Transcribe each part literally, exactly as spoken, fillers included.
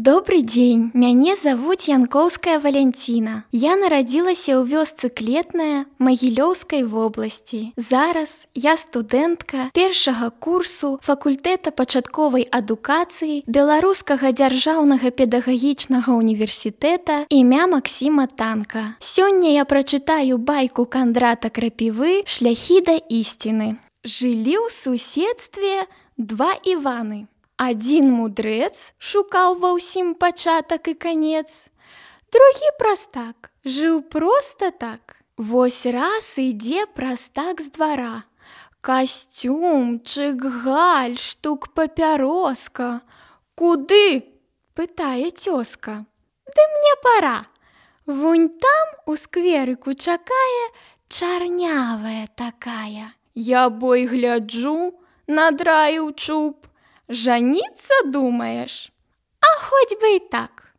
Добрый дзень, мяне завуць Янкоўская Валянціна. Я нарадзілася ў вёсцы Клетная Магілёўскай вобласці. Зараз я студэнтка першага курсу факультэта пачатковай адукацыі Беларускага дзяржаўнага педагагічнага універсітэта імя Максіма Танка. Сёння я прачытаю байку Кандрата Крапівы «Шляхі да ісціны». Жылі ў суседстве два Іваны. Адзін мудрэц шукаў ва ўсім пачатак і канец, другі прастак жыў проста так. Вось раз ідзе прастак з двара. Касцюм, чык-галь, штук папяроска. Куды? Пытае цёзка. Ды мне пара. Вунь там у скверыку чакае чарнявая такая. Я бой гляджу, надраіў чуб. Жаніцца думаеш? А хоць бы і так.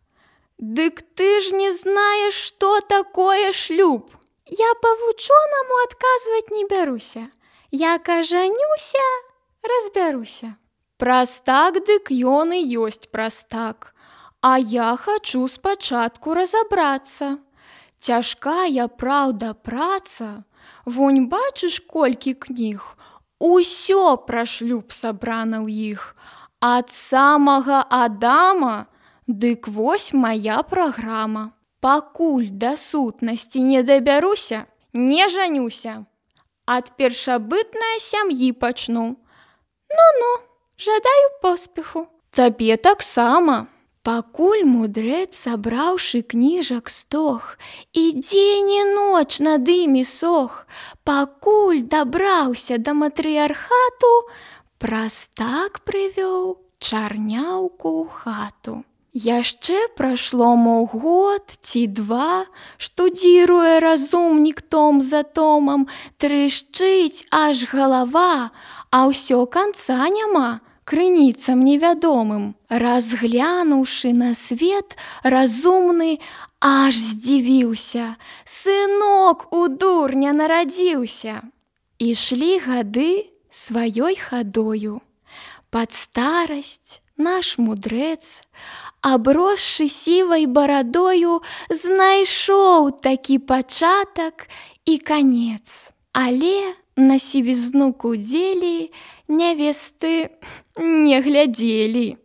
Дык ты ж не знаеш, што такое шлюб. Я па-вучонаму адказваць не бяруся. Як ажанюся, разбяруся. Прастак дык ён і ёсць прастак. А я хачу спачатку разабрацца. Цяжкая, праўда, праца. Вунь бачыш, колькі кніг. Усё пра шлюб сабрана ў іх. Ад самага Адама, дык вось мая праграма. Пакуль да сутнасці не дабяруся, не жанюся. Ад першабытнай сям'і пачну. Ну-ну, жадаю поспеху. Табе таксама. Пакуль мудрэц, сабраўшы кніжак стог, і дзень і ноч над імі сох, пакуль дабраўся да матрыярхату, прастак прывёў чарняўку ў хату. Яшчэ прайшло мо год ці два, штудзіруе разумнік том за томам, трышчыць аж галава, а ўсё канца няма. Крыніцам невядомым. Разглянуўшы на свет, разумны аж здзівіўся. Сынок у дурня нарадзіўся. Ішлі гады сваёй хадою. Пад старасць наш мудрэц, абросшы сівай барадою, знайшоў такі пачатак і канец. Але на сівізну кудзелі нявесты не глядзелі.